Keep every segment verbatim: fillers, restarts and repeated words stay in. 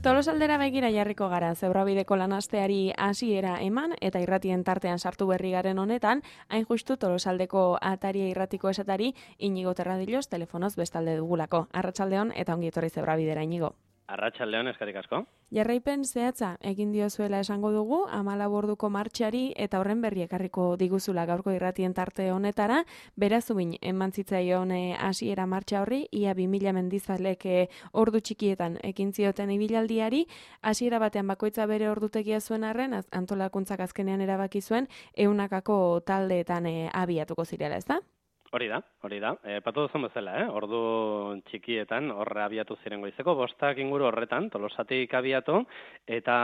Tolosaldera begira jarriko gara, zebrabideko lanasteari hasiera eman eta irratien tartean sartu berri garen honetan, hain justu Tolosaldeko ataria irratiko esatari Inigo Terradillos telefonoz bestalde dugulako. Arratsaldeon eta ongi etorri zebrabidera, Inigo. Arratsaldeon, eskerrik asko. Jarraipen zehatza egin diozuela esango dugu, hamalau orduko martxari eta horren berri ekarriko diguzula gaurko irratien tarte honetara, berazubin eman zitzaion hasiera martxa horri, ia bi mila mendizalek ordu txikietan ekin zioten ibilaldiari, hasiera batean bakoitza bere ordutegia zuen arren, antolakuntzak azkenean erabaki zuen, ehunakako taldeetan e, abiatuko zirela, ez da? Hori da, hori da. E, patu duzun bezala, eh? Ordu txikietan horre abiatu ziren goizeko, bostak inguru horretan, Tolosatik abiatu, eta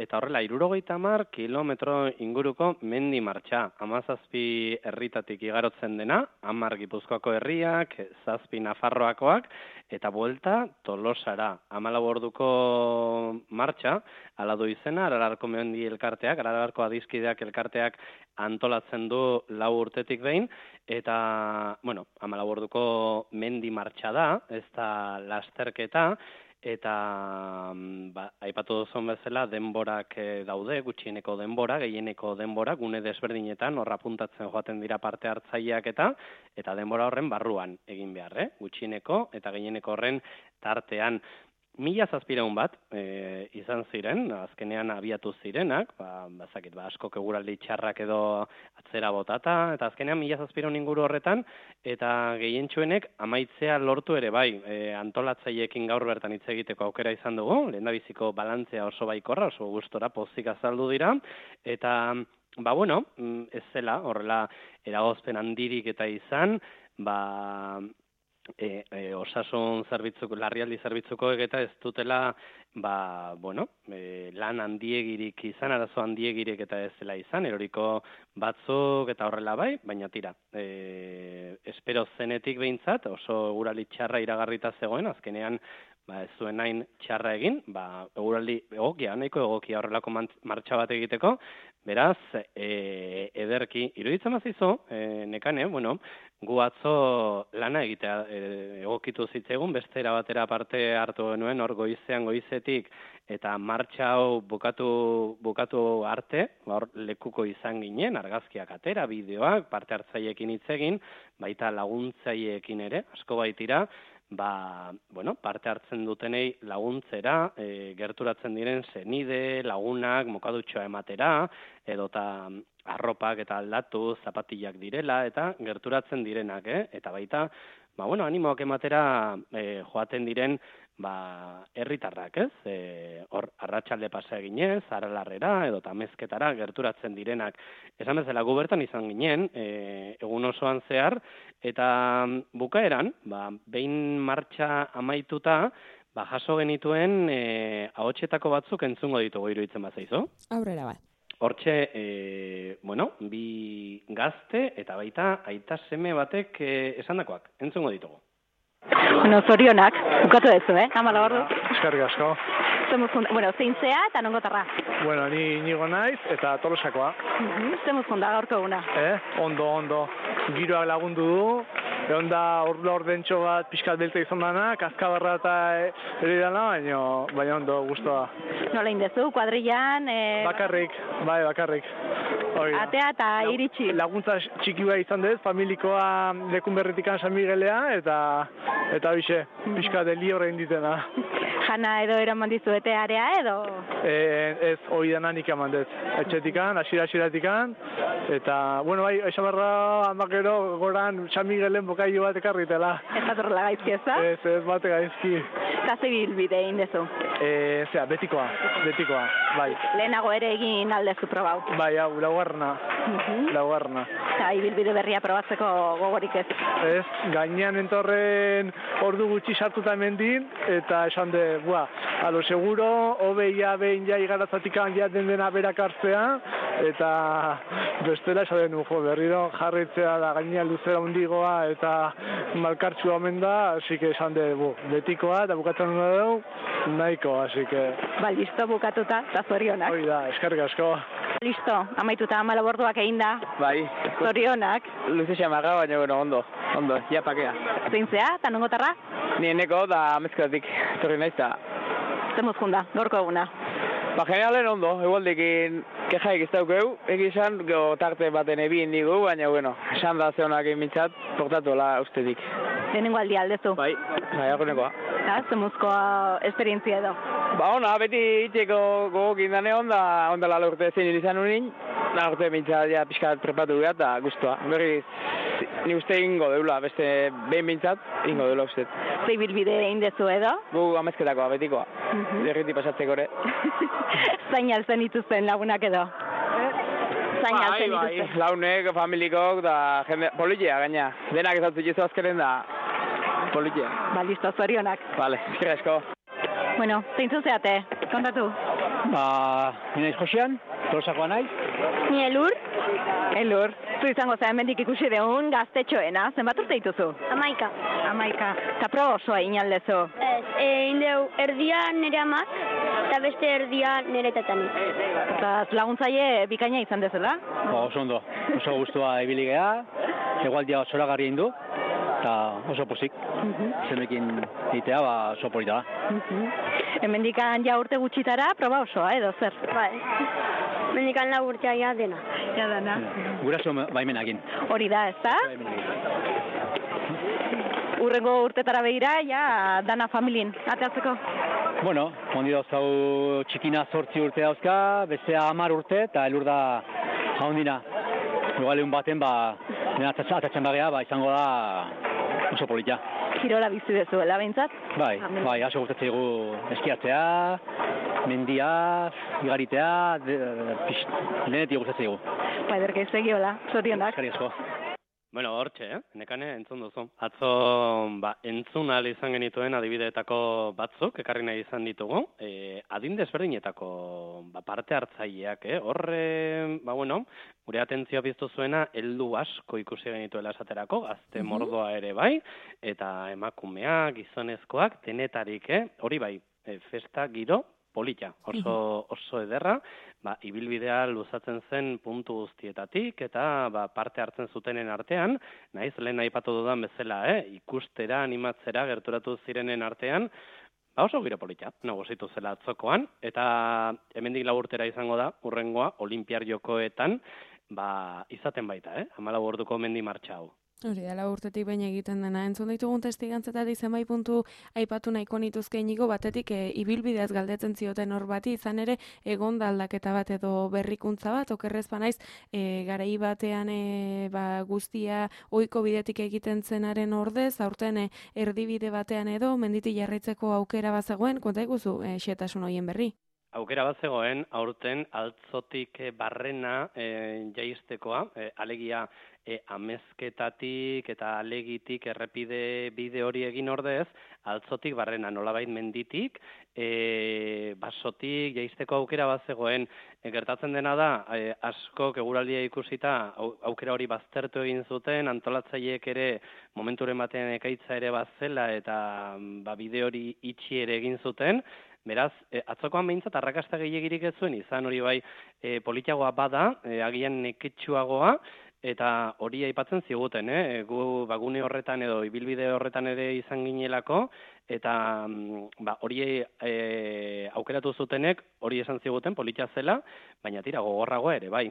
eta horrela, hirurogeita hamar kilometro inguruko mendi martxa. Hamazazpi herritatik igarotzen dena, hamar Gipuzkoako herriak, zazpi Nafarroakoak, eta buelta Tolosara. Hamalau orduko martxa, ala du izena, Aralarko mendi elkarteak, Aralarko adizkideak elkarteak antolatzen du lau urtetik behin, eta, bueno, hamalau orduko mendi martxa da, ez da lasterketa, eta ba, aipatu duzun bezala denborak daude, gutxieneko denbora, gehieneko denbora, gune desberdinetan, horra puntatzen joaten dira parte hartzaileak eta, eta denbora horren barruan egin behar, eh? Gutxieneko eta gehieneko horren tartean. Mila zazpireun bat e, izan ziren, azkenean abiatu zirenak, ba, bazakit, ba, askok eguraldi txarrak edo atzera botata, eta azkenean mila zazpireun inguru horretan, eta gehientsuenek amaitzea lortu ere bai, e, antolatzaileekin gaur bertan hitz egiteko aukera izan dugu, lehendabiziko balantzea oso baikorra, oso gustora pozik azaldu dira, eta, ba bueno, ez zela, horrela eragozpen handirik eta izan, ba... E, e, osasun zerbitzuko, larrialdi zerbitzuko eta ez dutela ba, bueno, e, lan handiegirik izan, arazo handiegirik eta ez zela izan, eroriko batzuk eta horrela bai, baina tira, e, espero zenetik behintzat, oso eguraldi txarra iragarrita zegoen, azkenean ba, ez zuen hain txarra egin, ba, eguraldi egokia, nahiko egokia horrelako martxa bat egiteko, beraz, e, ederki, iruditzen mazizu, e, nekane, bueno, gu atzo lana egitea e, egokitu zitzaigun, beste erabatera parte hartu genuen, hor goizean goizetik, eta martxa hau bukatu, bukatu arte, hor lekuko izan ginen, argazkiak atera, bideoak, parte hartzaileekin hitz egin, baita laguntzaileekin ere, asko baitira, ba, bueno, parte hartzen dutenei laguntzera, e, gerturatzen diren senide, lagunak, mokadutxoa ematera, edota arropak eta aldatu, zapatillak direla, eta gerturatzen direnak, eh? Eta baita, ba, bueno, animoak ematera e, joaten diren, ba, herritarrak, ez? E, hor, arratsalde pasa eginez, Aralarrera, edo tamezketara gerturatzen direnak. Esan bezala, gu bertan izan ginen, e, egun osoan zehar, eta bukaeran, ba, behin martxa amaituta, ba, jaso genituen e, ahotsetako batzuk entzungo ditugu iruditzen bazaizu. Aurrera bai. Hortxe, e, bueno, bi gazte eta baita aita seme batek e, esandakoak, entzungo ditugu. Bueno, zorionak, bukatu dezu, eh? Hamala ordu. Eskerrik asko. Bueno, zein zea eta nongotarra? Bueno, ni Inigo naiz eta Tolosakoa. Uh-huh. Zemuz konda gaurko eguna? Eh, ondo, ondo. Giroak lagundu du, egon da ordu ordentxo bat pixkat beltza izan dana, kaskabarra eta ere dana, baina, baina ondo, guztua. Nola indezu, kuadrillan? E... Bakarrik, bai, bakarrik. Oida. Atea eta iritsi. Laguntza txiki bai izan dez, familikoa lekun berritikan San Miguelea, eta eta bixe, pixka deli horrein ditena. Jana edo eraman dizu etearea edo? E, ez, hori dena nik eman dez. Etxetikan, asira-asiratikan, eta, bueno, bai, esabarra handak goran San Miguelen bokaio bat ekarritela. Ez bat horrela gaizki ez da? Ez, ez bat gaizki. Kaze bilbide egin dezu? E, zera, betikoa, betikoa, bai. Lehenago ere egin aldezu probau? Bai, hau, laugarna, uh-huh. laugarna. Eta ibilbide berria probatzeko gogorik ez? Ez, gainean entorren ordu gutxi sartuta mendin, eta esan de, bua, alo seguro, hobeia behin ja igaratzatikan ja den dena berak hartzea, eta bestela esan den, jo, berriro jarritzea da gainean luzera hundigoa, eta malkartsua omen da, así que esan de, bu, betikoa, eta bukatzen dut dugu, nahiko, así que... Ba, listo, bukatuta, eta zorionak. Hoi da, eskerrik asko. Listo, amaituta hamalau orduak egin da. Bai. Zorionak. Luze xamaga, baina bueno, ondo, ondo, ja pakea. Zein zea, eta nongotarra? Ni eneko da amezketatik, torri naiz, eta zemuz junda, gorko eguna. Ba, generalen ondo, egualdekin kejaik ez daukeu, egizan, go tarte baten ebin digu, baina, bueno, esan da zehonak emintzat, portatuela ustetik. Lehenengo aldi aldezu. Bai, bai, akonekoa. Eta, zemuzko esperientzia edo. Ba, ona, beti itxeko gogokin dane onda, onda lala urte zein izan unin, da urte mintzat, ja, pixkat prepatu gara, eta guztua. Berriz, ni uste ingo deula, beste behin mintzat, ingo deula uste. Zei bilbide indezu edo? Gu amezketakoa, betikoa. Mhm. Derriti pasatzeko ere. Zain altzen dituzten lagunak edo? Zain Bai, altzen bai, dituzten. launek, familikok, da jende, politia gaina. Denak ez dut jizu azkeren da, politia. Ba, listo, zorionak. Vale, eskerrik asko. Bueno, zeintzu zeate, kontatu. Ba, ni naiz Josean, Tolosakoa naiz. Ni Elur. Elur. Zu izango zea hemendik ikusi deun gaztetxoena, zenbat urte dituzu? Amaika. Amaika. Eta proba osoa inaldezu. Ez, e, indeu, erdia nire amak, eta beste erdia nire tatanik. Eta laguntzaile bikaina izan dezela? Ba, oso ondo, oso gustua ibili gea, egualdia zoragarri egin du, eta oso pozik. Zenekin egitea, ba, oso polita da. Hemendikan ja urte gutxitara, proba osoa, edo zer? Bai. Mendikan lau urtea ja dena. Ja dana. Guraso baimenakin. Hori da, ez da? Urrengo urtetara behira, ja, dana familien, ateatzeko. Bueno, ondi dauzkau txikina zortzi urte dauzka, bestea hamar urte, eta elur da jaundina. Igual egun baten, ba, dena atatzen bagea, ba, izango da oso polita. Kirola bizi dezuela, behintzat? Bai, bai, aso gustatzen dugu eskiatzea, mendia, igaritea, de, pix, lehenetik gustatzen dugu. Ba, ederke segiola, zorionak. Eskerrik asko. Bueno, hortxe, eh? Nekane entzun duzu. Atzo, ba, entzun ahal izan genituen adibideetako batzuk, ekarri nahi izan ditugu, e, adin desberdinetako ba, parte hartzaileak, eh? Horre, ba, bueno, gure atentzioa biztu zuena, heldu asko ikusi genituela esaterako, gazte mordoa ere bai, eta emakumeak, gizonezkoak, denetarik, eh? Hori bai, e, festa giro, polita, oso, oso ederra, ba, ibilbidea luzatzen zen puntu guztietatik, eta ba, parte hartzen zutenen artean, naiz lehen aipatu dudan bezala, eh? Ikustera, animatzera, gerturatu zirenen artean, ba, oso giro polita, nagusitu zela atzokoan, eta hemendik lau urtera izango da, urrengoa, Olinpiar Jokoetan, ba, izaten baita, eh? hamalau orduko mendi martxa hau. Hori da, lau urtetik baina egiten dena. Entzun ditugun testigantzetatik zenbait puntu aipatu nahiko nituzke inigo, batetik e, ibilbideaz galdetzen zioten hor bati, izan ere egon da aldaketa bat edo berrikuntza bat, okerrez banaiz, e, garai batean e, ba, guztia ohiko bidetik egiten zenaren ordez, aurten e, erdibide batean edo, menditi jarraitzeko aukera bazegoen, konta iguzu, e, xetasun horien berri. Aukera bat zegoen, aurten altzotik barrena e, jaiztekoa, e, alegia e, amezketatik eta alegitik errepide bide hori egin ordez, altzotik barrena nolabait menditik, e, basotik jaizteko aukera bat zegoen. E, gertatzen dena da, e, asko eguraldia ikusita au, aukera hori baztertu egin zuten, antolatzaileek ere momenturen batean ekaitza ere bazela eta ba, bide hori itxi ere egin zuten. Beraz, e, atzokoan behintzat arrakasta gehiagirik ez zuen, izan hori bai e, politiagoa bada, e, agian neketsuagoa, eta hori aipatzen ziguten, eh? Gu bagune horretan edo ibilbide horretan ere izan ginelako, eta ba, hori e, aukeratu zutenek hori esan ziguten politia zela, baina tira gogorragoa ere, bai.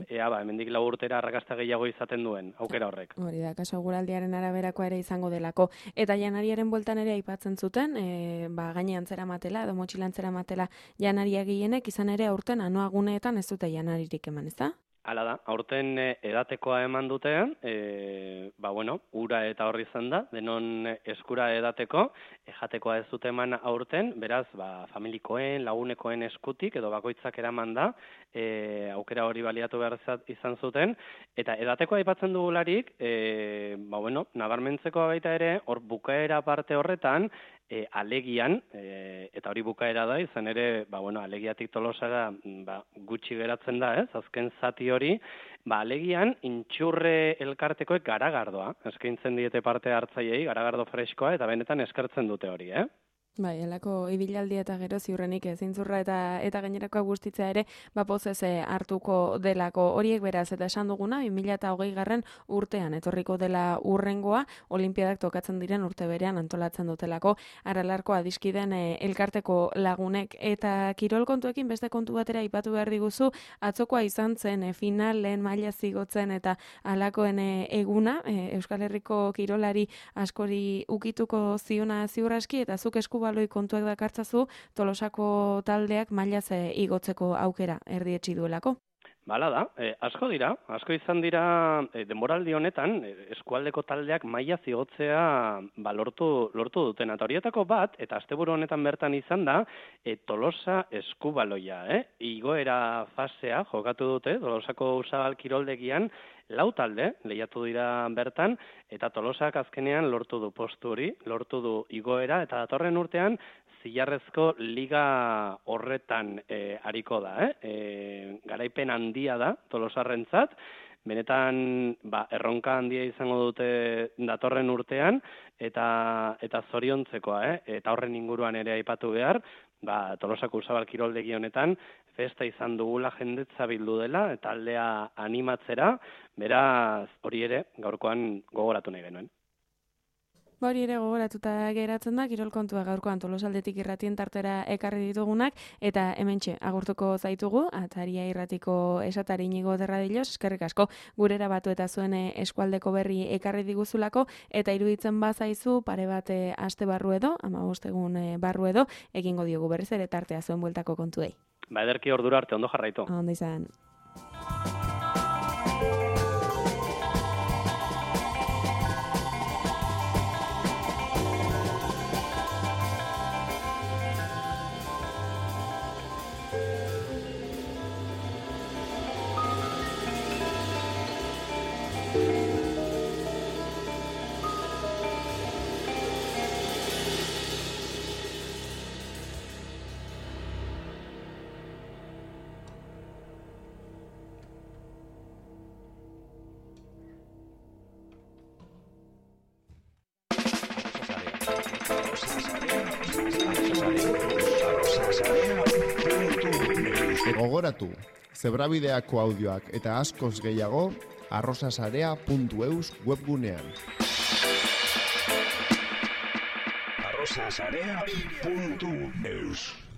Ea, ba, hemendik lau urtera arrakasta gehiago izaten duen aukera horrek. Hori da, kaso guraldiaren araberakoa ere izango delako. Eta janariaren bueltan ere aipatzen zuten, e, ba, gainean zeramatela edo motxilan zeramatela janaria gehienek, izan ere aurten anoaguneetan ez dute janaririk eman, ez da? Hala da, aurten edatekoa eman dute, e, ba bueno, ura eta horri izan da, denon eskura edateko, ejatekoa ez dute eman aurten, beraz, ba, familikoen, lagunekoen eskutik, edo bakoitzak eraman da, e, aukera hori baliatu behar izan zuten, eta edatekoa aipatzen dugularik, e, ba bueno, nabarmentzeko baita ere, hor bukaera parte horretan, E, alegian, e, eta hori bukaera da, izan ere, ba, bueno, alegiatik Tolosara ba, gutxi geratzen da, ez, azken zati hori, ba, alegian intxurre elkartekoek garagardoa, eskaintzen diete parte hartzaileei, garagardo freskoa, eta benetan eskertzen dute hori, eh? Bai, elako ibilaldia eta gero ziurrenik zintzurra eta eta gainerakoa guztitzea ere ba pozez hartuko delako horiek beraz eta esan duguna bi mila hogei garren urtean etorriko dela urrengoa olinpiadak tokatzen diren urte berean antolatzen dutelako Aralarko adiskideen e, elkarteko lagunek eta kirol kontuekin beste kontu batera aipatu behar diguzu atzokoa izan zen e, final lehen maila zigotzen eta alakoen e, eguna e, Euskal Herriko kirolari askori ukituko ziona ziurraski eta zuk esku baloi kontuak dakartzazu Tolosako taldeak mailaz igotzeko aukera erdietsi duelako. Bala da, e, asko dira, asko izan dira e, denboraldi honetan e, eskualdeko taldeak maila zigotzea ba, lortu, lortu duten. Eta horietako bat, eta asteburu honetan bertan izan da, e, Tolosa eskubaloia, eh? Igoera fasea jokatu dute, Tolosako Usabal kiroldegian, lau talde lehiatu dira bertan, eta Tolosak azkenean lortu du postu hori, lortu du igoera, eta datorren urtean zilarrezko liga horretan e, ariko da, eh? E, garaipen handia da Tolosarrentzat, benetan ba, erronka handia izango dute datorren urtean, eta eta zoriontzekoa, eh? Eta horren inguruan ere aipatu behar, ba, Tolosako Usabal kiroldegi honetan festa izan dugula jendetza bildu dela, eta aldea animatzera, beraz hori ere gaurkoan gogoratu nahi genuen. Hori ere gogoratuta geratzen da, kirol kontua gaurkoan Tolosaldetik irratien tartera ekarri ditugunak, eta hementxe agurtuko zaitugu, ataria irratiko esatari Inigo Terradilos, eskerrik asko gurera batu eta zuen eskualdeko berri ekarri diguzulako, eta iruditzen bazaizu pare bat aste barru edo, hamabost egun barru edo, egingo diogu berriz ere tartea zuen bueltako kontuei. Ba ederki ordura arte ondo jarraitu. Ondo izan. Gogoratu, zebrabideako audioak eta askoz gehiago arrosasarea puntu eus webgunean. arrosasarea puntu eus